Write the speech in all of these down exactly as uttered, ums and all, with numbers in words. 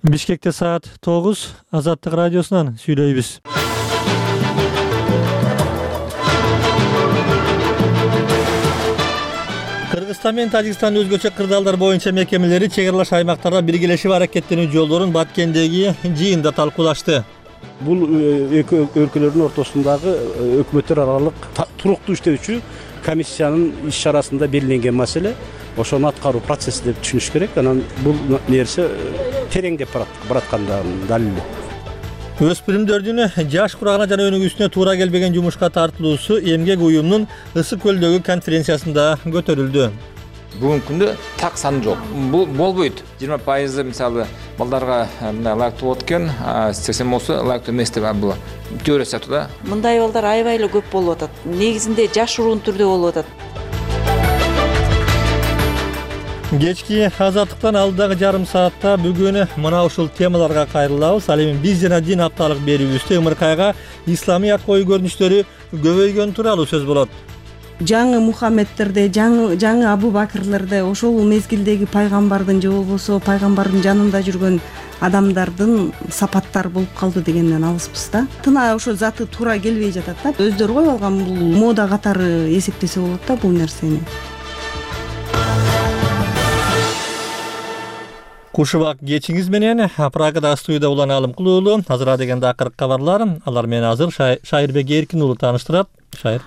Бишкекте саат тогуз, Азаттык радиосунан сүйлөйбүз. Кыргызстан менен Тажикстан өзгөчө кырдаалдар боюнча мекемелери чек аралаш аймактарда биргелешип аракеттенүү жолдорун Баткендеги жыйында талкуулашты. Бул эки өлкөлөрдүн ортосундагы өкмөттөр аралык туруктуу иштөөчү комиссиянын иш чарасында белгиленген маселе. Ошону аткаруу процесси деп түшүнүш керек. Анан бул нерсе тереңдеп бараткандыгынын далили. Өспүрүмдөрдүн жаш курагына жана өнүгүүсүнө туура келбеген жумушка тартылуусу эмгек уюмунун Ысык көлдөгү конференциясында көтөрүлдү. Бүгүнкү күндө так сан жок. Бул болбойт. жыйырма пайызы мисалы балдарга мындай ылайыктуу болот экен, сексен болсо ылайыктуу эмес деп бул теория сыяктуу да. Мындай балдар аябай эле көп болуп атат. Негизинде жашыруун түрдө болуп атат. Кечки Азаттыктан алдыдагы жарым саатта бүгүн мына ушул темаларга кайрылабыз. Ал эми биз жана дин апталык берүүбүздө ымыркайга исламият коюу көрүнүштөрү көбөйгөн тууралуу сөз болот. Жаңы Мухаммедтерде, жаңы жаңы Абу Бакырлерде ошол мезгилдеги пайгамбардын же болбосо пайгамбардын жанында жүргөн адамдардын сапаттары болуп калды дегенден алыспыз да. Тына ошо заты туура келбей жатат да. Өздөрү коюп алган бул мода катары эсептесе болот да бул нерсени. Кушубак кечиңиз менен Прагада студияда улан алым кылуулу. Азыр дегенде акыркы кабарлар. Алар менен азыр Шайырбек Эркин уулу тааныштырат. Шайыр.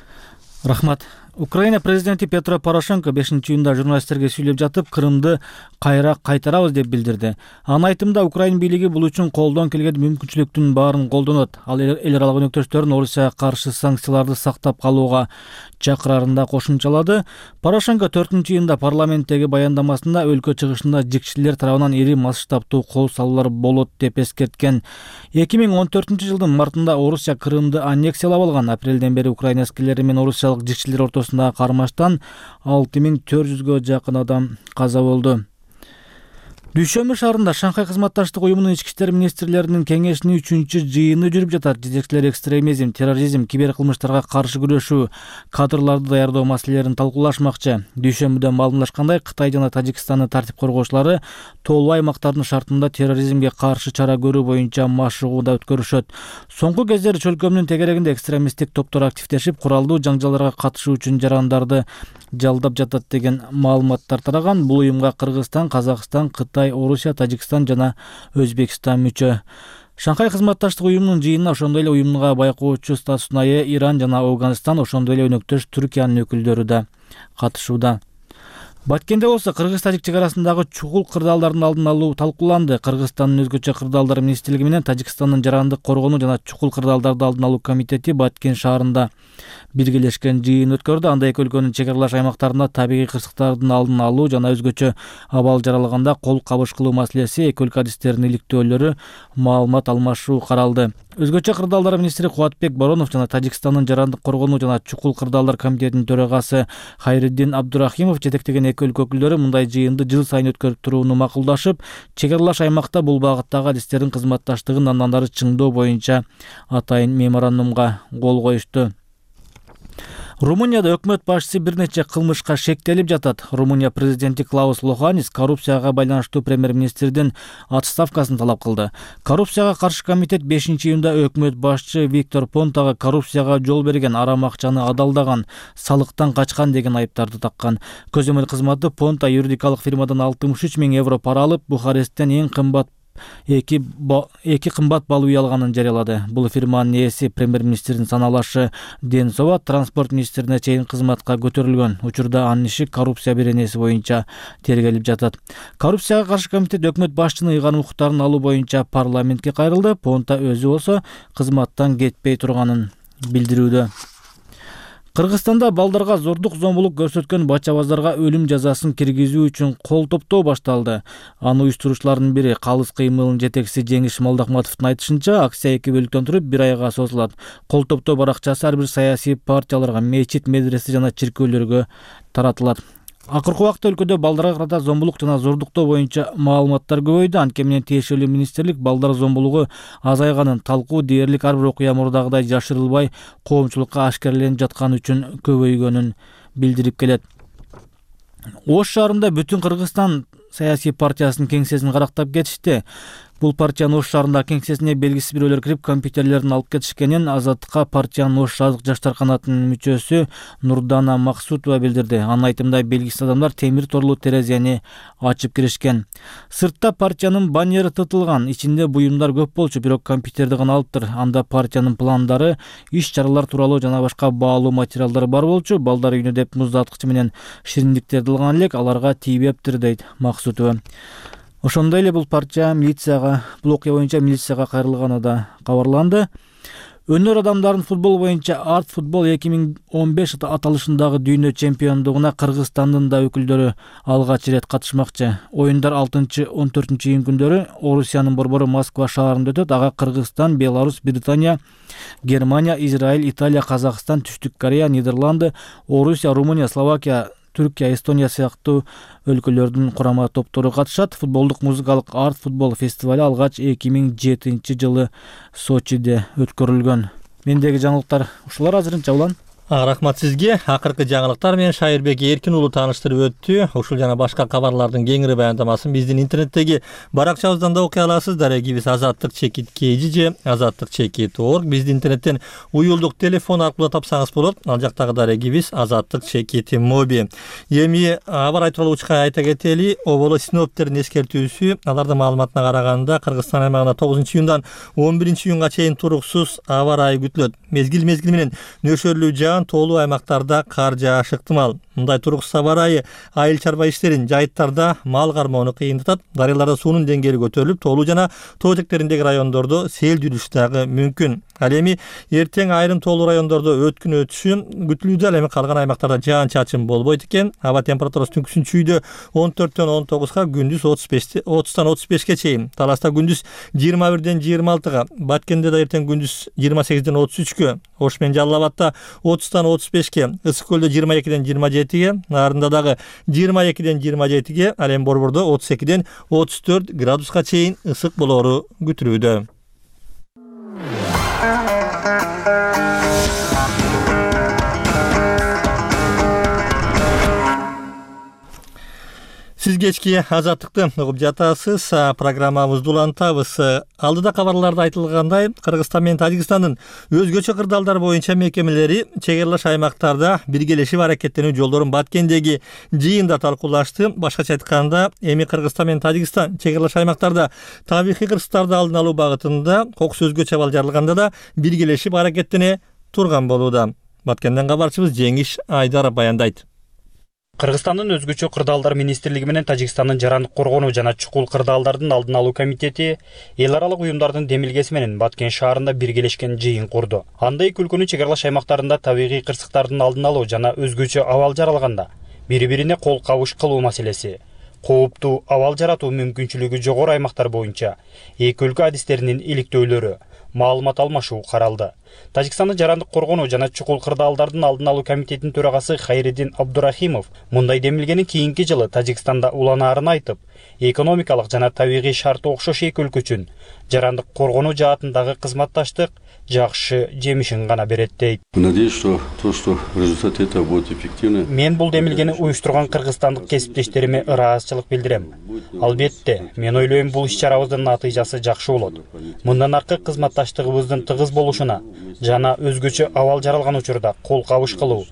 Рахмат. Украина президенти Петро Порошенко бешинчи июнда журналисттерге сүйлөп жатып, Крымды кайра кайтарабыз деп билдирди. Анын айтымында Украина бийлиги бул үчүн колдон келген мүмкүнчүлүктүн баарын колдонот. Ал эл аралык өнөктөштөрүн Орусияга каршы санкцияларды сактап калууга чакырарын да кошумчалады. Порошенко төртүнчү июнда парламенттеги баяндамасында өлкө чыгышында жикчилер тарабынан ири масштабтуу кол салуулар болот деп эскерткен. эки миң он төртүнчү жылдын мартында Орусия Крымды аннексиялап алган. Апрелден бери Украина аскерлери менен орусиялык жикчилер ортосундагы кармаштан алты миң төрт жүзгө жакын адам каза болду. Дүйшөмбү шаарында Шанхай кызматташтык уюмунун ички иштер министрлеринин кеңешинин үчүнчү жыйыны жүрүп жатат. Жетекчилер экстремизм, терроризм, киберкылмыштарга каршы күрөшүү, кадрларды даярдоо маселелерин талкуулашмакчы. Дүйшөмбүдө маалымдашкандай, Кытай жана Тажикстандын тартип коргоочулары тоолуу аймактардын шартында терроризмге каршы чара көрүү боюнча машыгууда өткөрүшөт. Соңку кездери чөлкөмдүн тегерегинде экстремисттик топтор активдешип, куралдуу жаңжалдарга катышуу үчүн жарандарды жалдап жатат деген маалыматтар тараган. Бул уюмга Кыргызстан, Казакстан, Кытай, Орусия, Тажикстан жана Өзбекстан мүчө. Шанхай кызматташтык уюмунун жыйынына ошондой эле уюмга байкоочу статусуна ээ Иран жана Афганистан, ошондой эле өнөктөш Түркиянын өкүлдөрү да катышууда. Баткенде болсо Кыргыз-Тажик чек арасындагы чукул кырдаалдардын алдын алуу талкууланды. Кыргызстандын өзгөчө кырдаалдар министрлиги менен Тажикстандын жарандык коргонуу жана чукул кырдаалдарды алдын алуу комитети Баткен шаарында биргелешкен жыйын өткөрдү. Анда эки өлкөнүн чек аралаш аймактарында табигый кырсыктардын алдын алуу жана өзгөчө абал жаралаганда кол кабыш кылуу маселеси, эки өлкө адистеринин иликтөөлөрү, маалымат алмашуу каралды. Өзгөчө кырдаалдар министри Кубатбек Боронов жана Тажикстандын жарандык коргонуу жана чукул кырдаалдар комитетинин төрагасы Хайриддин Абдурахимов жетектеген эки өлкө өкүлдөрү мындай жыйынды жыл сайын өткөрүп турууну макулдашып, чек аралаш аймакта бул багыттагы адистердин кызматташтыгын андан ары чыңдоо боюнча атайын меморандумга кол коюшту. Румынияда өкмөт башчысы бир нече кылмышка шектелип жатат. Румыния президенти Клаус Лоханис коррупцияга байланыштуу премьер-министрдин отставкасын талап кылды. Коррупцияга каршы комитет бешинчи июнда өкмөт башчы Виктор Понтага коррупцияга жол берген, арам акчаны адалдаган, салыктан качкан деген айыптарды таккан. Көзөмөл кызматы Понта юридикалык фирмадан алтымыш үч миң евро пара алып, Бухаресттен эң кымбат эки эки кымбат бал үй алганын жарыялады. Бул фирманын ээси премьер-министрдин саналашы Денсова транспорт министрине чейин кызматка көтөрүлгөн. Учурда анын иши коррупция беренеси боюнча тергелип жатат. Коррупцияга каршы комитет өкмөт башчынын ыйган укуктарын алуу боюнча парламентке кайрылды. Понта өзү болсо кызматтан кетпей турганын билдирүүдө. Кыргызстанда балдарга зордук зомбулук көрсөткөн бачабаздарга өлүм жазасын киргизүү үчүн кол топтоо башталды. Аны уюштуруучулардын бири Калыс кыймылынын жетекчиси Жеңиш Молдохматовдун айтышынча, акция эки бөлүктөн туруп бир айга созулат. Кол топтоо баракчасы ар бир саясий партияларга, мечит, медресе жана чиркөөлөргө таратылат. Акыркы убакта өлкөдө балдарга карата зомбулук жана зордуктоо боюнча маалыматтар көбөйдү. Анткени менен тиешелүү министрлик балдар зомбулугу азайганын, талкуу дээрлик ар бир окуя мурдагыдай жашырылбай коомчулукка ашкереленип жатканы үчүн көбөйгөнүн билдирип келет. Ош шаарында Бүтүн Кыргызстан саясий партиясынын кеңсесин карактап кетишти. Бул партиянын Ош шаарындагы кеңсесине белгисиз бирөөлөр кирип компьютерлерин алып кетишкенин Азаттыкка партиянын Ош шаардык жаштар канатынын мүчөсү Нурдана Максутова билдирди. Анын айтымында белгисиз адамдар темир торлуу терезени ачып киришкен. Сыртта партиянын баннери тытылган, ичинде буюмдар көп болчу, бирок компьютерди гана алыптыр. Анда партиянын пландары, иш-чаралар тууралуу жана башка баалуу материалдар бар болчу. Балдар үйүнө деп муздаткыч менен шириндиктерди алган элек, аларга тийбептир дейт Максутова. Ошондой эле бул партия милицияга, бул окуя боюнча милицияга кайрылганы да кабарланды. Өнөр адамдарын футбол боюнча Арт футбол эки миң он беш аталышындагы дүйнө чемпиондугуна Кыргызстандын да өкүлдөрү алгач ирет катышмакчы. Оюндар алтынчы он төртүнчү июнь күндөрү Орусиянын борбору Москва шаарында өтөт. Ага Кыргызстан, Беларусь, Британия, Германия, Израиль, Италия, Казакстан, Түштүк Корея, Нидерланды, Орусия, Румыния, Словакия, Түркия, Эстония сыяктуу өлкөлөрдүн курама топтору катышат. Футболдук музыкалык Арт футбол фестиваль алгач эки миң жетинчи жылы Сочиде өткөрүлгөн. Мендеги жаңылыктар ушулар азырынча улан. Рахмат сизге. Акыркы жаңылыктар менен Шайырбек Эркин уулу тааныштырып өттү. Ушул жана башка кабарлардын кеңири баяндамасын биздин интернеттеги баракчабыздан да окуй аласыздар. Эгибиз азаттык чекит kg же азаттык чекит org. Бизди интернеттен уюлдук телефон аркылуу тапсаңыз болот. Ал жактагы дарегибиз азаттык чекит моби. Эми аба ырайы тууралуу учка айта кетели. Оболо синоптиктердин эскертүүсү, алардын маалыматына караганда Кыргызстан аймагында тогузунчу июндан он биринчи июнга чейин туруксуз аба ырайы күтүлөт. Мезгил мезгил менен нөшөрлүү жаан тоолуу аймактарда кар жаашы ыктымал. Мындай туруксуз аба ырайы айыл чарба иштерин жайыттарда мал кармоону кыйындатат. Дарыяларда суунун деңгээли көтөрүлүп, тоолуу жана тоо этектериндеги райондордо сел жүрүш дагы мүмкүн. Ал эми эртең айрым тоолуу райондордо өткүн өтүшү күтүлүүдө. Ал эми калган аймактарда жаан чачын болбойт экен. Аба температурасы түнкүсүн чүйдө он төрттөн он тогузга, күндүз отуз беште отуздан отуз бешке чейин. Таласта күндүз жыйырма бирден жыйырма алтыга, Баткенде да эртең күндүз жыйырма сегизден отуз үчкө, Ош менен Жалал Абадта отуздан отуз бешке, Ысык көлдө жыйырма экиден жыйырма жетиге, Нарында дагы жыйырма экиден жыйырма жетиге, ал эми Борбордо отуз экиден отуз төрт градуска чейин ысык болоору күтүлүүдө. Сиз кечки азаттыкты угуп жатасыз. Программабызды улантабыз. Алдыда кабарларда айтылгандай, Кыргызстан менен Тажикстандын өзгөчө кырдаалдар боюнча мекемелери чек аралаш аймактарда биргелешип аракеттенүү жолдорун Баткендеги жыйында талкуулашты. Башкача айтканда, эми Кыргызстан менен Тажикстан чек аралаш аймактарда табигый кырсыктарды алдын алуу багытында кокус өзгөчө абал жаралганда да биргелешип аракеттене турган болууда. Баткенден кабарчыбыз Жеңиш Айдаров баяндайт. Кыргызстандын өзгөчө кырдаалдар министрлиги менен Тажикстандын жарандык коргонуу жана чукул кырдаалдардын алдын алуу комитети эл аралык уюмдардын демилгеси менен Баткен шаарында биргелешкен жыйын курду. Анда эки өлкөнүн чек аралаш аймактарында табигый кырсыктардын алдын алуу жана өзгөчө абал жаралганда бири-бирине кол кабыш кылуу маселеси, кооптуу абал жаратуу мүмкүнчүлүгү жогору аймактар боюнча эки өлкө адистеринин иликтөөлөрү, маалымат алмашуу каралды. Тажикстандын жарандык коргонуу жана чукул кырдаалдардын алдын алуу комитетинин төрагасы Хайриддин Абдурахимов мындай демилгенин кийинки жылы Тажикстанда уланаарын айтып, экономикалык жана табигый шарты окшош эки өлкө үчүн жарандык коргонуу жаатындагы кызматташтык жакшы жемишин гана берет дейт. Надеюсь, что то, что в результате этого будет эффективно. Мен бул демилгени уюштурган кыргызстандык кесиптештериме ыраазычылык билдирем. Албетте, мен ойлойм бул иш-чарабыздын натыйжасы жакшы болот. Мындан аркы кызматташтыгыбыздын тыгыз болушуна жана өзгөчө абал жаралган учурда кол кабыш кылуу,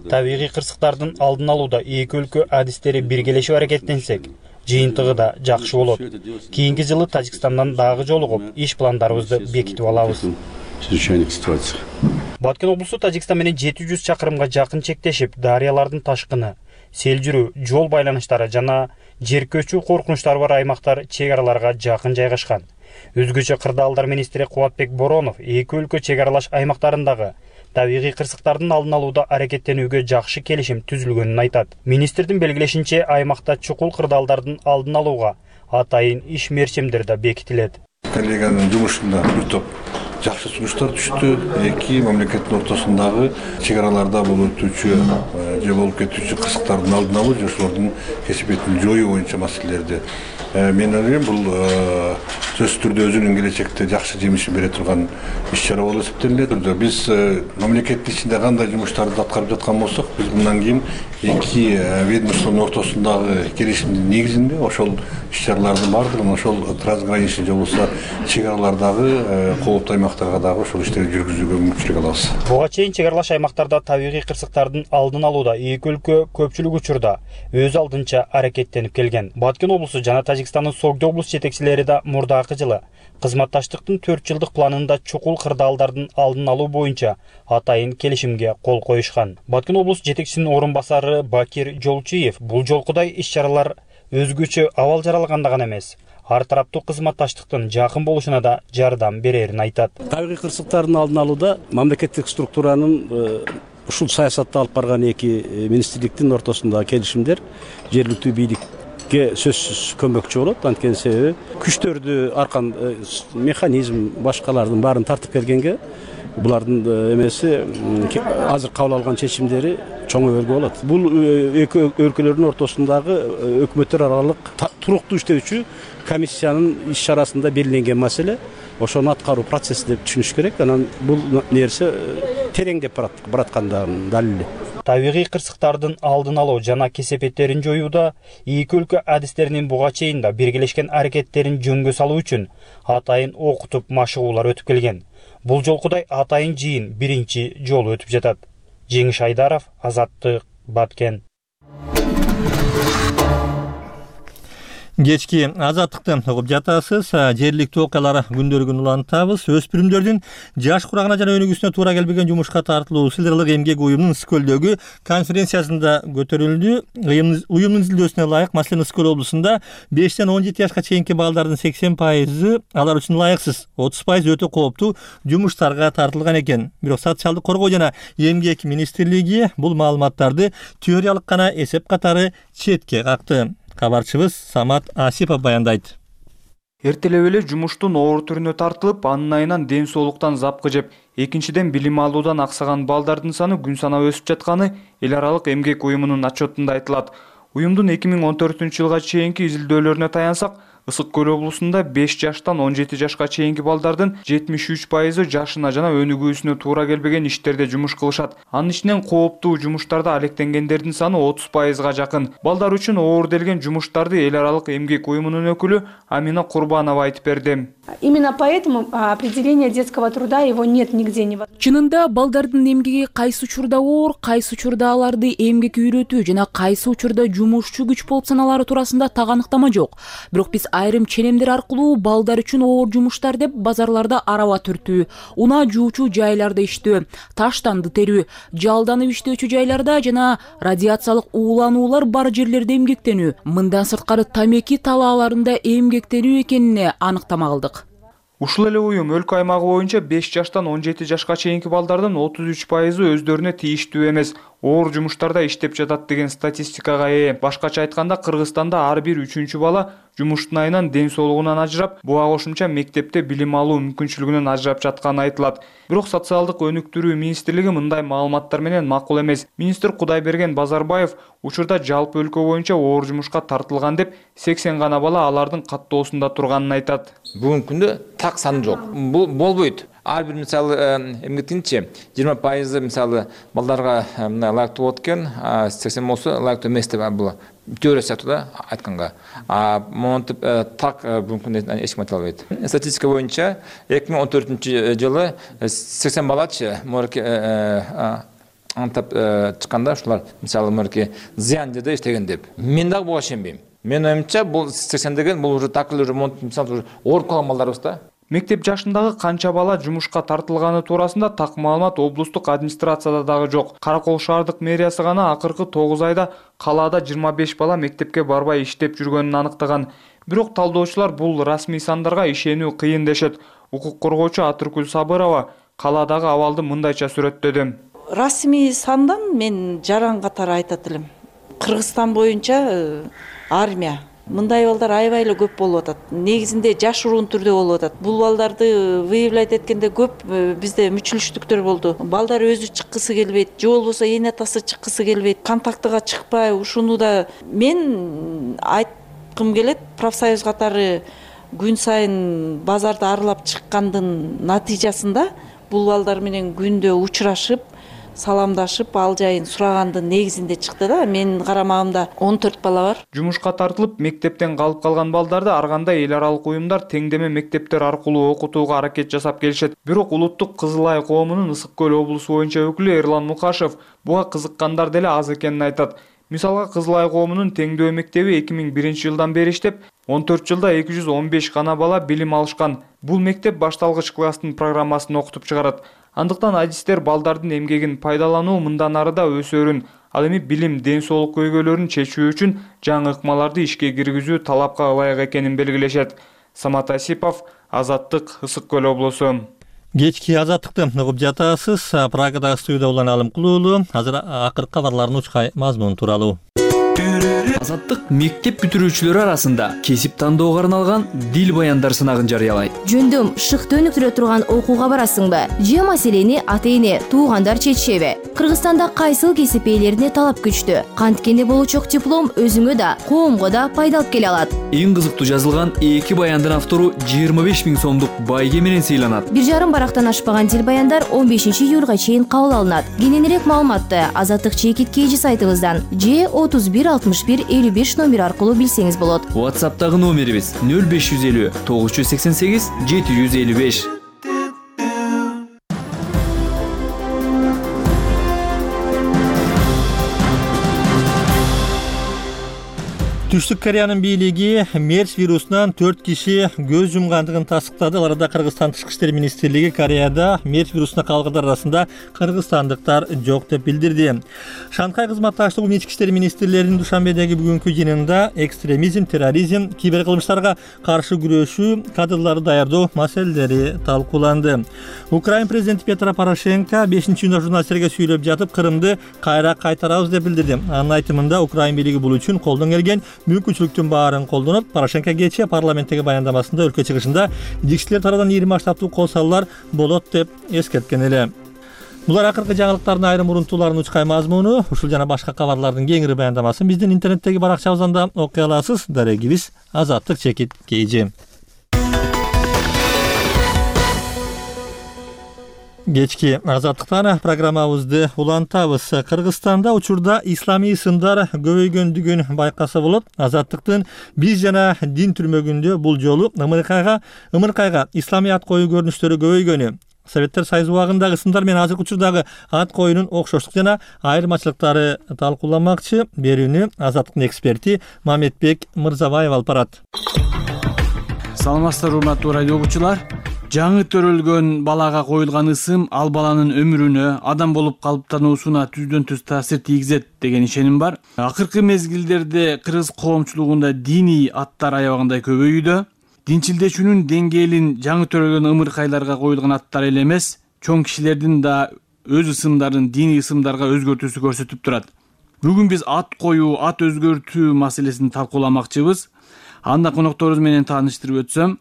табигый кырсыктардын алдын алууда эки өлкө адистери биргелешип аракеттенсек, жыйынтыгы да жакшы болот. Кийинки жылы Тажикстандан дагы жолугуп, иш пландарыбызды бекитип алабыз. Баткен облусу Тажикстан менен жети жүз чакырымга жакын чектешип, дарыялардын ташкыны, сел жүрүү, жол байланыштары жана жер көчүү коркунучтары бар аймактар чек араларга жакын жайгашкан. Өзгөчө кырдаалдар министри Кубатбек Боронов эки өлкө чек аралаш аймактарындагы табигый кырсыктардын алдын алууда аракеттенүүгө жакшы келишим түзүлгөнүн айтат. Министрдин белгилешинче, аймакта чукул кырдаалдардын алдын алууга атайын иш мерчимдер да бекитилет. Коллеганын жумушунда бир топ жакшы сунуштар түштү. Эки мамлекеттин ортосундагы чек араларда болуп өтүүчү же болуп кетүүчү кырсыктардын алдын алуу, ошолордун кесипетин жоюу боюнча маселелерди мен ойлойм бул сөзсүз түрдө өзүнүн келечекте жакшы жемишин бере турган иш чара болуп эсептелинет. Биз мамлекеттин ичинде кандай жумуштарды аткарып жаткан болсок, биз мындан кийин эки ведомствонун ортосундагы келишимдин негизинде ошол иш чаралардын баардыгын ошол трансграничный же болбосо чек аралардагы кооптуу аймактарга дагы ошол иштерди жүргүзүүгө мүмкүнчүлүк алабыз. Буга чейин чек аралаш аймактарда табигый кырсыктардын алдын алууда эки өлкө көпчүлүк учурда өз алдынча аракеттенип келген. Баткен облусу жана Тажикстандын Согдо облус жетекчилери да мурдакы жылы кызматташтыктын төрт жылдык планында чукул кырдаалдардын алдын алуу боюнча атайын келишимге кол коюшкан. Баткен облус жетекчисинин орун басары Бакир Жолчиев бул жолкудай иш-чаралар өзгөчө абал жаралганда гана эмес, ар тараптуу кызматташтыктын жакын болушуна да жардам берерин айтат. Табигый кырсыктардын алдын алууда мамлекеттик структуранын ушул саясатты алып барган эки министрликтин ортосундагы келишимдер жергиликтүү бийликке сөзсүз көмөкчү болот. Анткени себеби күчтөрдү аркан механизм башкалардын баарын тартып келгенге булардын эмеси азыр кабыл алган чечимдери чоң өбөлгө болот. Бул эки өлкөлөрдүн ортосундагы өкмөттөр аралык туруктуу иштөөчү комиссиянын иш чарасында белгиленген маселе. Ошону аткаруу процесси деп түшүнүш керек. Анан бул нерсе тереңдеп бараткандыгынын далили. Табигый кырсыктардын алдын алуу жана кесепеттерин жоюуда эки өлкө адистеринин буга чейин да биргелешкен аракеттерин жөнгө салуу үчүн атайын окутуп машыгуулар өтүп келген. Бул жолкудай атайын жыйын биринчи жолу өтүп жатат. Жеңиш Айдаров, Азаттык, Баткен. Кечки азаттыкты угуп жатасыз. Жергиликтүү окуялар күндөрүгүн улантабыз. Өспүрүмдөрдүн жаш курагына жана өнүгүүсүнө туура келбеген жумушка тартылуу силдерлик эмгек уюмунун Скөлдөгү конференциясында көтөрүлдү. Уюмдун изилдөөсүнө ылайык, маселен, Скөл облусунда бештен он жети жашка чейинки балдардын сексен пайызы алар үчүн ылайыксыз, отуз пайызы өтө кооптуу жумуштарга тартылган экен. Бирок социалдык коргоо жана эмгек министрлиги бул маалыматтарды теориялык гана эсеп катары четке какты. Кабарчыбыз Самат Асипов баяндайт. Эртелеп эле жумуштун оор түрүнө тартылып, анын айынан ден соолуктан запкы жеп, экинчиден билим алуудан аксаган балдардын саны күн санап өсүп жатканы эл аралык эмгек уюмунун отчетунда айтылат. Уюмдун эки миң он төртүнчү жылга чейинки изилдөөлөрүнө таянсак, Ысык Көл облусунда беш жаштан он жети жашка чейинки балдардын жетимиш үч пайызы жашына жана өнүгүүсүнө туура келбеген иштерде жумуш кылышат. Анын ичинен кооптуу жумуштарда алектенгендердин саны отуз пайызга жакын. Балдар үчүн оор делген жумуштарды эл аралык эмгек уюмунун өкүлү Амина Курбанова айтып берди. Именно поэтому определение детского труда его нет нигде не. Чынында балдардын эмгеги кайсы учурда оор, кайсы учурда аларды эмгекке үйрөтүү жана кайсы учурда жумушчу күч болуп саналары туурасында так аныктама жок. Бирок биз айрым ченемдер аркылуу балдар үчүн оор жумуштар деп базарларда араба түртүү, унаа жуучу жайларда иштөө, таштанды терүү, жалданып иштөөчү жайларда жана радиациялык уулануулар бар жерлерде эмгектенүү, мындан сырткары тамеки талааларында эмгектенүү экенине аныктама кылдык. Ушул эле уюм өлкө аймагы боюнча беш жаштан он жети жашка чейинки балдардын отуз үч пайызы өздөрүнө тийиштүү эмес, оор жумуштарда иштеп жатат деген статистикага ээ. Башкача айтканда, Кыргызстанда ар бир үчүнчү бала жумуштун айынан ден соолугунан ажырап, буга кошумча мектепте билим алуу мүмкүнчүлүгүнөн ажырап жатканы айтылат. Бирок социалдык өнүктүрүү министрлиги мындай маалыматтар менен макул эмес. Министр Кудайберген Базарбаев учурда жалпы өлкө боюнча оор жумушка тартылган деп сексен гана бала алардын каттоосунда турганын айтат. Бүгүнкү күндө так сан жок. Бул болбойт. Ар бир мисалы эмгектинчи жыйырма пайызы мисалы балдарга мына ылайыктуу болот экен, сексен болсо ылайыктуу эмес деп бул теория сыяктуу да айтканга. А монтип так бүгүнкү күндө эч ким айта албайт. Статистика боюнча эки миң он төртүнчү жылы сексен балачы морке антап чыкканда ушулар мисалы морке зыян жерде иштеген деп. Мен дагы буга ишенбейм. Мен оюмча бул сексен деген бул уже так эле ремонт мисалы ооруп калган балдарыбыз да. Мектеп жашындагы канча бала жумушка тартылганы туурасында так маалымат облустук администрацияда дагы жок. Каракол шаардык мэриясы гана акыркы тогуз айда калаада жыйырма беш бала мектепке барбай иштеп жүргөнүн аныктаган. Бирок талдоочулар бул расмий сандарга ишенүү кыйын дешет. Укук коргоочу Атыркүл Сабырова калаадагы абалды мындайча сүрөттөдү. Расмий сандан мен жаран катары айтат элем. Кыргызстан боюнча армия мындай балдар аябай эле көп болуп атат. Негизинде жашыруун түрдө болуп атат. Бул балдарды выявлять эткенде көп бизде мүчүлүштүктөр болду. Балдар өзү чыккысы келбейт, же болбосо эне атасы чыккысы келбейт, контактыга чыкпай, ушуну да мен айткым келет, профсоюз катары күн сайын базарды аралап чыккандын натыйжасында бул балдар менен күндө учурашып, саламдашып, ал жайын сурагандын негизинде чыкты да. Менин карамагымда он төрт бала бар. Жумушка тартылып, мектептен калып калган балдарды ар кандай эл аралык уюмдар теңдеме мектептер аркылуу окутууга аракет жасап келишет. Бирок Улуттук Кызыл Ай коомунун Ысык көл облусу боюнча өкүлү Эрлан Мукашев буга кызыккандар деле аз экенин айтат. Мисалга, Кызыл Ай коомунун теңдөө мектеби эки миң биринчи жылдан бери иштеп, он төрт жылда эки жүз он беш гана бала билим алышкан. Бул мектеп башталгыч класстын программасын окутуп чыгарат. Андыктан адистер балдардын эмгегин пайдалануу мындан ары да өсөрүн, ал эми билим, ден соолук көйгөйлөрүн чечүү үчүн жаңы ыкмаларды ишке киргизүү талапка ылайык экенин белгилешет. Самат Асипов, Азаттык, Ысык көл облусу. Кечки азаттыкты угуп жатасыз. Прагадагы студияда улан Алым Кулуулу. Азыр акыркы кабарлардын учкай мазмуну тууралуу. Азаттык мектеп бүтүрүүчүлөрү арасында кесип тандоого арналган дил баяндар сынагын жарыялайт. Жөндөм шыкты өнүктүрө турган окууга барасыңбы? Же маселени ата-эне, туугандар чечишеби? Кыргызстанда кайсыл кесип ээлерине талап күчтүү? Канткени болочок диплом өзүңө да, коомго да пайда алып келе алат. Эң кызыктуу жазылган эки баяндын автору жыйырма беш миң сомдук байге менен сыйланат. Бир жарым барактан ашпаган дил баяндар он бешинчи июлга чейин кабыл алынат. Кененирээк маалыматты Азаттык чекит кейжи сайтыбыздан же отуз бир алтымыш бир элүү беш номер аркылуу билсеңиз болот. WhatsApp'тагы номерибиз нөл беш жүз элүү тогуз жүз сексен сегиз жети жүз элүү беш. Түштүк Кореянын бийлиги мерс вирусунан төрт киши көз жумгандыгын тастыктады. Аларда Кыргызстан Тышкы иштер министрлиги Кореяда мерс вирусуна калгандар арасында кыргызстандыктар жок деп билдирди. Шанхай кызматташтыгынын ички иштер министрлеринин Душанбедеги бүгүнкү жыйынында экстремизм, терроризм, киберкылмыштарга каршы күрөшүү кадрдарды даярдоо маселелери талкууланды. Украин президенти Петро Порошенко бешинчи июнда журналисттерге сүйлөп жатып, Крымды кайра кайтарабыз деп билдирди. Анын айтымында Украин бийлиги бул үчүн колдон келген мүмкүнчүлүктүн баарын колдонуп, Порошенко кечээ парламенттеги баяндамасында өлкө чыгышында жигичилер тарабынан ири масштабтуу кол салуулар болот деп эскерткен эле. Булар акыркы жаңылыктардын айрым урунтууларынын учкай мазмуну. Ушул жана башка кабарлардын кеңири баяндамасын биздин интернеттеги баракчабыздан да окуй аласыз. Дарегибиз Азаттык чекит кейжи. Кечки азаттыктан программабызды улантабыз. Кыргызстанда учурда исламий сындар көбөйгөндүгүн байкаса болот. Азаттыктын биз жана дин түрмөгүндө бул жолу ымыркайга ымыркайга исламий ат коюу көрүнүштөрү көбөйгөнү, Советтер Союзу убагындагы сындар менен азыркы учурдагы ат коюунун окшоштук жана айырмачылыктары талкууламакчы. Берүүнү Азаттыктын эксперти Мамедбек Мырзабаев алып барат. Саламатсыздар урматтуу радио угуучулар. Жаңы төрөлгөн балага коюлган ысым ал баланын өмүрүнө, адам болуп калыптануусуна түздөн түз таасир тийгизет деген ишеним бар. Акыркы мезгилдерде кыргыз коомчулугунда диний аттар аябагандай көбөйүүдө. Динчилдешүүнүн деңгээлин жаңы төрөлгөн ымыркайларга коюлган аттар эле эмес, чоң кишилердин да өз ысымдарын диний ысымдарга өзгөртүүсү көрсөтүп турат. Бүгүн биз ат коюу, ат өзгөртүү маселесин талкууламакчыбыз. Анда конокторубуз менен тааныштырып өтсөм,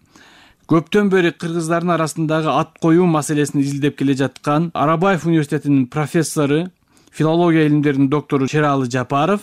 көптөн бери кыргыздардын арасындагы ат коюу маселесин изилдеп келе жаткан Арабаев университетинин профессору, филология илимдеринин доктору Шералы Жапаров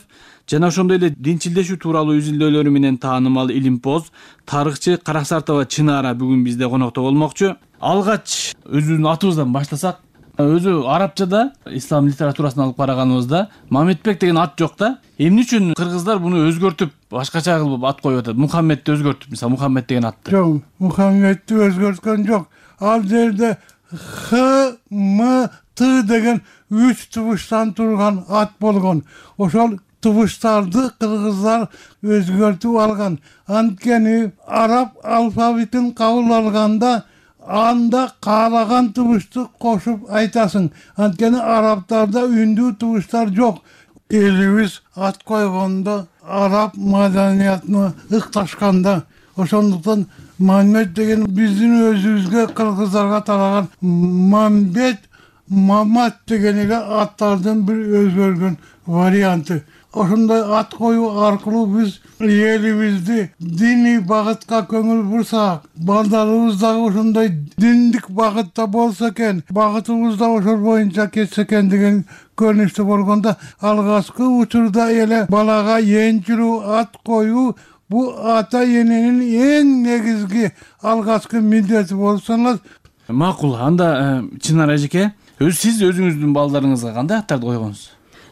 жана ошондой эле динчилдешүү тууралуу изилдөөлөрү менен таанымал илимпоз, тарыхчы Караксартова Чынара бүгүн бизде конокто болмокчу. Алгач өзүбүздүн атыбыздан баштасак, өзү арабчада ислам литературасын алып караганыбызда Мамедбек деген ат жок да. Эмне үчүн кыргыздар буну өзгөртүп, башкача кылып ат коюп атат? Мухаммедти өзгөртүп, мисалы Мухаммед деген атты. Жок, Мухаммедти өзгөрткөн жок. Ал жерде Х, М, Т деген үч тубуштан турган ат болгон. Ошол тубуштарды кыргыздар өзгөртүп алган. Анткени араб алфавитин кабыл алганда анда каалаган тубушту кошуп айтасың. Анткени арабтарда үндүү тубуштар жок. Элибиз ат койгондо араб маданиятына ыкташканда, ошондуктан Мамед деген биздин өзүбүзгө кыргыздарга тараган Мамбет, Мамат деген эле аттардын бир өзгөргөн варианты. Ошондой ат коюу аркылуу биз элибизди диний багытка көңүл бурсак, балдарыбыз дагы ошондой диндик багытта болсо экен, багытыбыз да ошол боюнча кетсе экен деген көрүнүштө болгондо, алгачкы учурда эле балага энчилүү ат коюу Bu ata enенин эң негизги алгачкы милдети болуп саналат. Макул. Анда Чынар эжеке, өз сиз өзүңүздүн балдарыңызга кандай аттарды койгонсуз?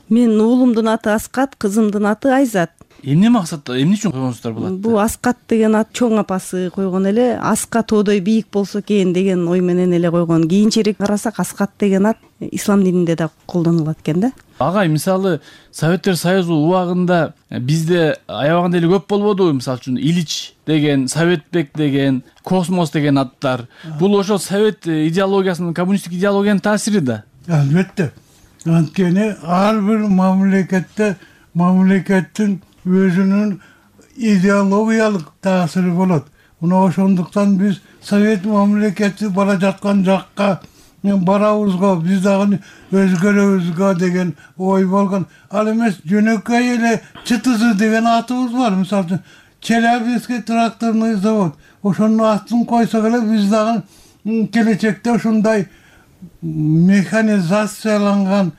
Мен уулумдун аты Аскат, кызымдын аты Айзат. Эмне максатта, эмне үчүн койгонсуздар бул атты? Бул Аскат деген ат чоң апасы койгон эле, Аска тоодой бийик болсо экен деген ой менен эле койгон. Кийинчерээк карасак Аскат деген ат ислам дининде да колдонулат экен да. Агай, мисалы Советтер Союзу убагында бизде аябаганда эле көп болбодубу? Мисалы үчүн Ильич деген, Советбек деген, Космос деген аттар. Бул ошол совет идеологиясынын, коммунисттик идеологиянын таасири да. Албетте. Анткени ар бир мамлекетте мамлекеттин өзүнүн идеологиялык таасири болот. Мына ошондуктан биз совет мамлекети бара жаткан жакка барабызго, биз дагы өзгөрөбүзгө деген ой болгон. Ал эмес жөнөкөй эле ЧТЗ деген атыбыз бар. Мисалы Челябинский тракторный завод. Ошонун атын койсок эле биз дагы келечекте ушундай механизацияланган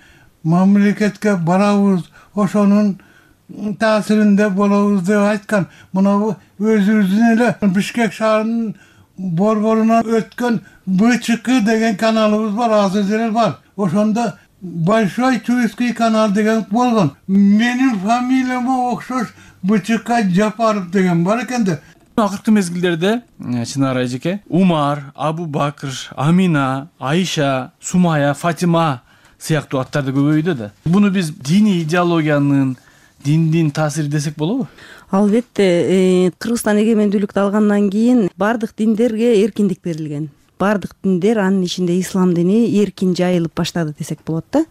мамлекетке барабыз, ошонун таасиринде болобуз деп айткан. Мына өзүбүздүн эле Бишкек шаарынын борборунан өткөн БЧК деген каналыбыз бар, азыр деле бар. Ошондо Большой Чуйский канал деген болгон. Менин фамилияма окшош БЧК Жапаров деген бар экен да. Акыркы мезгилдерде Чынар эжеке, Умар, Абу Бакр, Амина, Айша, Сумая, Фатима сыяктуу аттарды көбөйдү да. Буну биз диний идеологиянын, диндин таасири десек болобу? Албетте, Кыргызстан эгемендүүлүктү алгандан кийин бардык диндерге эркиндик берилген. Бардык диндер, анын ичинде ислам дини эркин жайылып баштады десек болот да.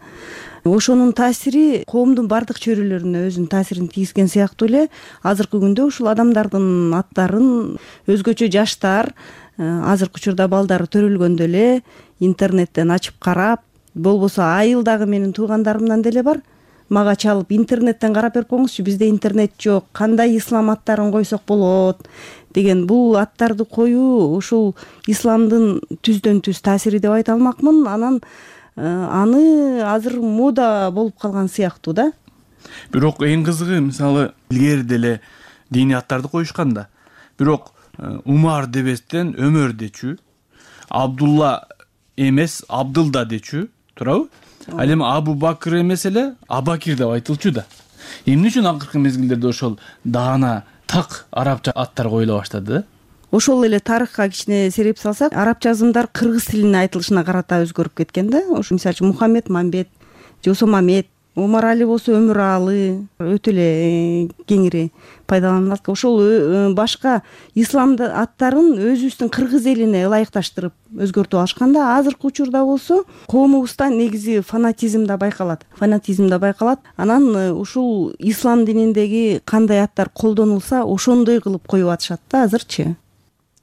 Ошонун таасири коомдун бардык чөйрөлөрүнө өзүнүн таасирин тийгизген сыяктуу эле азыркы күндө ушул адамдардын аттарын өзгөчө жаштар, азыркы учурда балдары төрөлгөндө эле интернеттен ачып карап, болбосо айылдагы менин туугандарымдан деле бар. Мага чалып интернеттен карап берип коюңузчу, бизде интернет жок, кандай ислам аттарын койсок болот деген. Бул аттарды коюу ушул исламдын түздөн түз таасири деп айта алмакмын. Анан аны азыр мода болуп калган сыяктуу да. Бирок эң кызыгы, мисалы илгери деле диний аттарды коюшкан да. Бирок Умар дебестен Өмөр дечү, Абдулла эмес Абдылда дечү, туурабы? Ал эми Абу Бакр эмес эле Абакир деп айтылчу да. Эмне үчүн акыркы мезгилдерде ошол даана так арабча аттар коюла баштады? Ошол эле тарыхка кичине сереп салсак, араб жазымдар кыргыз тилине айтылышына карата өзгөрүп кеткен да. Ошо мисалы үчүн Мухаммед Мамбет, Жосо Мамет, Омар Али болсо Өмүралы өтө эле кеңири пайдаланылат. Ошол башка исламды аттарын өзүбүздүн кыргыз элине ылайыкташтырып өзгөртүп алышкан да. Азыркы учурда болсо коомубузда негизи фанатизм да байкалат. Фанатизм да байкалат. Анан ушул ислам дининдеги кандай аттар колдонулса, ошондой кылып коюп атышат да азырчы.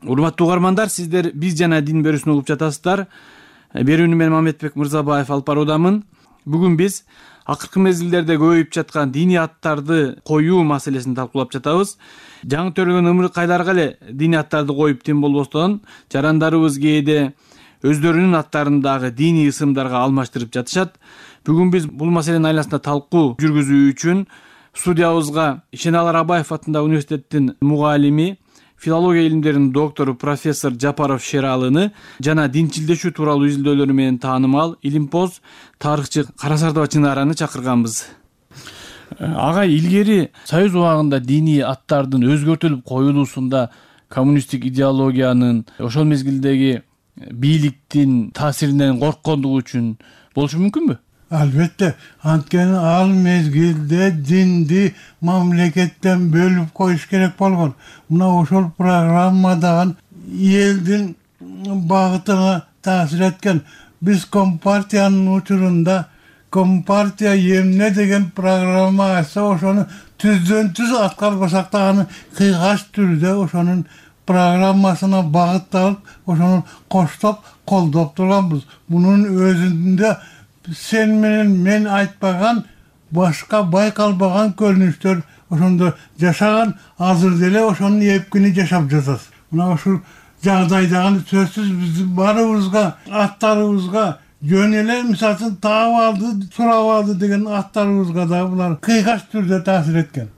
Урматтуу угармандар, сиздер Биз жана дин берүүсүн угуп жатасыздар. Берүүнү мен Мамедбек Мырзабаев алып баруудамын. Бүгүн биз акыркы мезгилдерде көбөйүп жаткан диний аттарды коюу маселесин талкуулап жатабыз. Жаңы төрөлгөн ымыркайларга эле диний аттарды коюп тим болбостон, жарандарыбыз кээде өздөрүнүн аттарын дагы диний ысымдарга алмаштырып жатышат. Бүгүн биз бул маселенин айласында талкуу жүргүзүү үчүн студиябызга Ишеналар Абаев атындагы университеттин мугалими, филология илимдеринин доктору профессор Жапаров Шералыны жана динчилдешүү тууралуу изилдөөлөрү менен таанымал илимпоз тарыхчы Карасардова Чынараны чакырганбыз. Агай, илгери Союз убагында диний аттардын өзгөртүлүп коюлуусунда коммунисттик идеологиянын, ошол мезгилдеги бийликтин таасиринен корккондугу үчүн болушу мүмкүнбү? Албетте, анткени ал мезгилде динди мамлекеттен бөлүп коюш керек болгон. Мына ошол программадагы элдин багытына таасир эткен. Биз Компартиянын учурунда Компартия эмне деген программа айтса, ошону түздөн түз аткарбасак да аны кыйгаш түрдө ошонун программасына багытталып, ошону коштоп колдоп турганбыз. Мунун өзүндө сен менен мен айтпаган башка байкалбаган көрүнүштөр ошондо жашаган, азыр деле ошонун эпкини жашап жатат. Мына ушул жагдайдагы сөзсүз биздин баарыбызга, аттарыбызга жөн эле мисалы үчүн таап алды, сурап алды деген аттарыбызга да булар кыйгаш түрдө таасир эткен.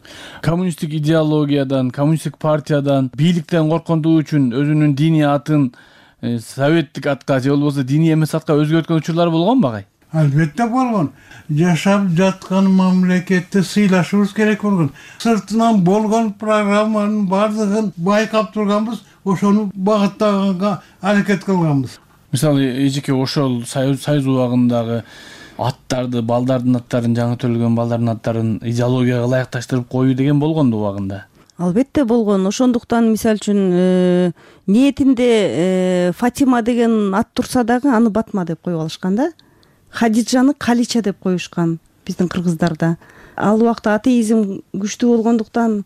Коммунисттик идеологиядан, коммунисттик партиядан, бийликтен корккондугу үчүн өзүнүн диний атын советтик атка же болбосо диний эмес атка өзгөрткөн учурлар болгонбу агай? Албетте болгон. Жашап жаткан мамлекетте сыйлашыбыз керек болгон. Сыртынан болгон программанын бардыгын байкап турганбыз, ошону багыттаганга аракет кылганбыз. Мисалы эжеке ошол союз убагындагы аттарды, балдардын аттарын, жаңы төрөлгөн балдардын аттарын идеологияга ылайыкташтырып коюу деген болгонду убагында. Албетте болгон. Ошондуктан мисалы үчүн ниетинде Фатима деген ат турса дагы аны Батма деп коюп алышкан да. Хадижаны Калича деп коюшкан биздин кыргыздарда. Ал убакта атеизм күчтүү болгондуктан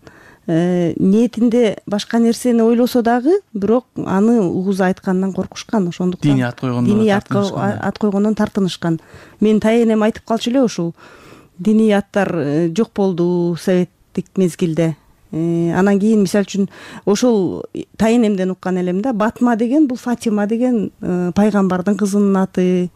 ниетинде башка нерсени ойлосо дагы, бирок аны угуз айткандан коркушкан. Ошондуктан диний ат койгондон диний ат койгондон тартынышкан. Менин тайенем айтып калчу эле ушул. Диний аттар жок болду советтик мезгилде. Анан кийин мисалы үчүн ошол тайенемден уккан элем да, Батма деген бул Фатима деген пайгамбардын кызынын аты,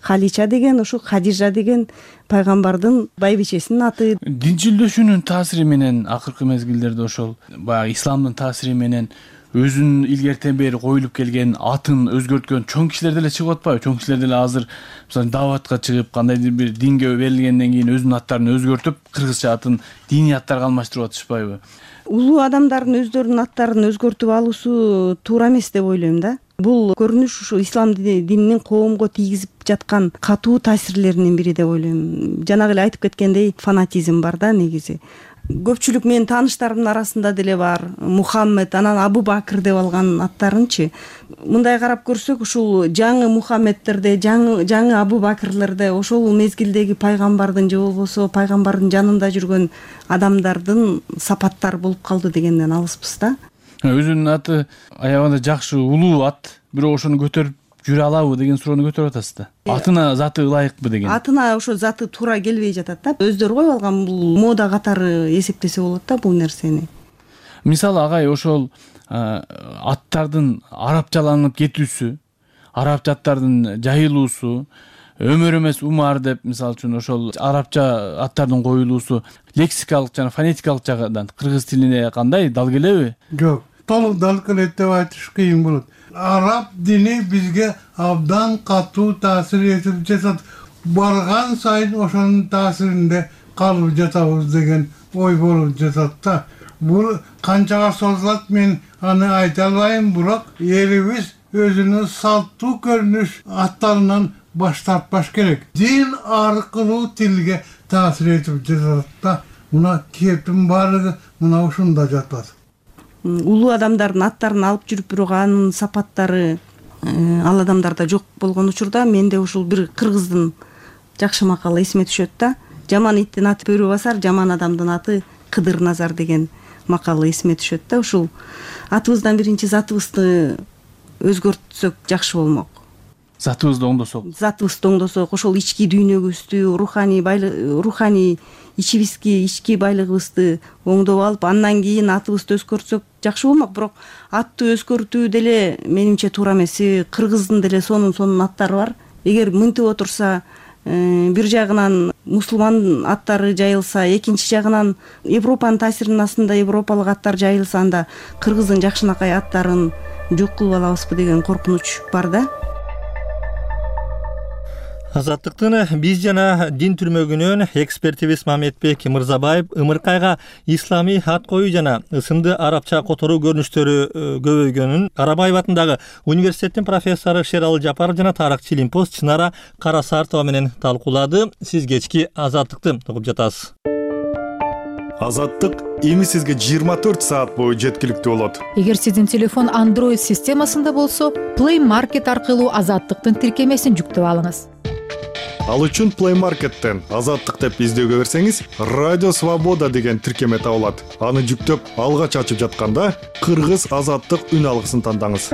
Халича деген ошо Хадижа деген пайгамбардын байбичесинин аты. Динчилдешүүнүн таасири менен акыркы мезгилдерде ошол баягы исламдын таасири менен өзүнүн илгертен бери коюлуп келген атын өзгөрткөн чоң кишилер деле чыгып атпайбы? Чоң кишилер деле азыр мисалы даватка чыгып, кандайдыр бир динге берилгенден кийин өзүнүн аттарын өзгөртүп, кыргызча атын диний аттарга алмаштырып атышпайбы? Улуу адамдардын өздөрүнүн аттарын өзгөртүп алуусу туура эмес деп ойлойм да. Бул көрүнүш ушу ислам дининин коомго тийгизип жаткан катуу таасирлеринин бири деп ойлойм. Жанагы эле айтып кеткендей фанатизм бар да негизи. Көпчүлүк менин тааныштарымдын арасында деле бар. Мухаммед, анан Абу Бакыр деп алган аттарынчы. Мындай карап көрсөк, ушул жаңы Мухаммедтерде, жаңы жаңы Абу Бакырлерде ошол мезгилдеги пайгамбардын же болбосо пайгамбардын жанында жүргөн адамдардын сапаттары болуп калды дегенден алыспыз да. Өзүнүн аты аябагында жакшы, улуу ат, бирок ошону көтөрүп жүрө алабы деген суроону көтөрүп атасыз да. Атына заты ылайыкпы деген. Атына ошо заты туура келбей жатат да. Өздөрү коюп алган бул мода катары эсептесе болот да бул нерсени. Мисалы агай ошол аттардын арабчаланып кетүүсү, арабча аттардын жайылуусу, Өмөр эмес Умар деп мисалы үчүн ошол арабча аттардын коюлуусу лексикалык жана фонетикалык жагынан кыргыз тилине кандай дал келеби? Жок, толук дал келет деп айтыш кыйын болот. Араб дини бизге абдан катуу таасир этип жатат. Барган сайын ошонун таасиринде калып жатабыз деген ой болуп жатат да. Бул канчага созулат мен аны айта албайм, бирок элибиз өзүнүн салттуу көрүнүш аттарынан баш тартпаш керек. Дин аркылуу тилге таасир этип жатат да. Мына кептин баардыгы мына ушунда жатат. Улуу адамдардын аттарын алып жүрүп, бирок анын сапаттары ал адамдарда жок болгон учурда менде ушул бир кыргыздын жакшы макалы эсиме түшөт да. Жаман иттин аты бөрү басар, жаман адамдын аты Кыдыр Назар деген макалы эсиме түшөт да. Ушул атыбыздан биринчи затыбызды өзгөртсөк жакшы болмок. Затыбызды оңдосок. Затыбызды оңдосок, ошол ички дүйнөгүбүздү, руханий байлык, руханий ичибизги, ички байлыгыбызды оңдоп алып, андан кийин атыбызды өзгөртсөк жакшы болмок. Бирок атты өзгөртүү деле менимче туура эмес. Кыргыздын деле сонун сонун аттары бар. Эгер мынтип отурса, бир жагынан мусулман аттары жайылса, экинчи жагынан Европанын таасиринин астында европалык аттар жайылса, анда кыргыздын жакшынакай аттарын жок кылып алабызбы деген коркунуч бар да. Азаттыктын биз жана дин түрмөгүнөн экспертибиз Мамедбек Мырзабаев ымыркайга исламий ат коюу жана ысымды арабча которуу көрүнүштөрү көбөйгөнүн Карабаев атындагы университеттин профессору Шералы Жапаров жана тарыхчы Лимпост Чынара Карасартова менен талкуулады. Сиз кечки Азаттыкты угуп жатасыз. Азаттык эми сизге жыйырма төрт саат бою жеткиликтүү болот. Эгер сиздин телефон Android системасында болсо, Play Market аркылуу Азаттыктын тиркемесин жүктөп алыңыз. Ал үчүн Play Market'тен Азаттык деп издөөгө берсеңиз, Радио Свобода деген тиркеме табылат. Аны жүктөп, алгач ачып жатканда Кыргыз Азаттык үн алгысын тандаңыз.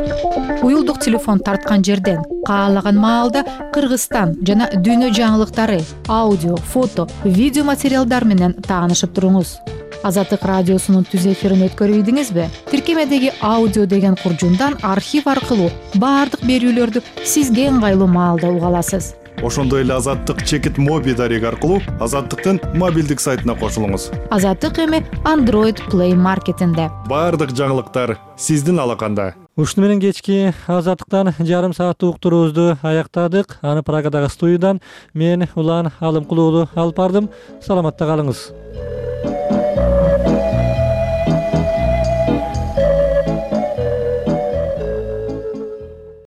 Уюлдук телефон тарткан жерден каалаган маалда Кыргызстан жана дүйнө жаңылыктары, аудио, фото, видео материалдар менен таанышып туруңуз. Азаттык радиосунун түз эфирин өткөрүп ийдиңизби? Тиркемедеги аудио деген куржундан архив аркылуу баардык берүүлөрдү сизге ыңгайлуу маалда уга аласыз. Ошондой эле Азаттык чекит моби дареги аркылуу Азаттыктын мобилдик сайтына кошулуңуз. Азаттык эми Android Play маркетинде. Баардык жаңылыктар сиздин алаканда. Ушуну менен кечки Азаттыктан жарым сааттык уктуруубузду аяктадык. Аны Прагадагы студиядан мен Улан Алымкулуу алып бардым. Саламатта калыңыз.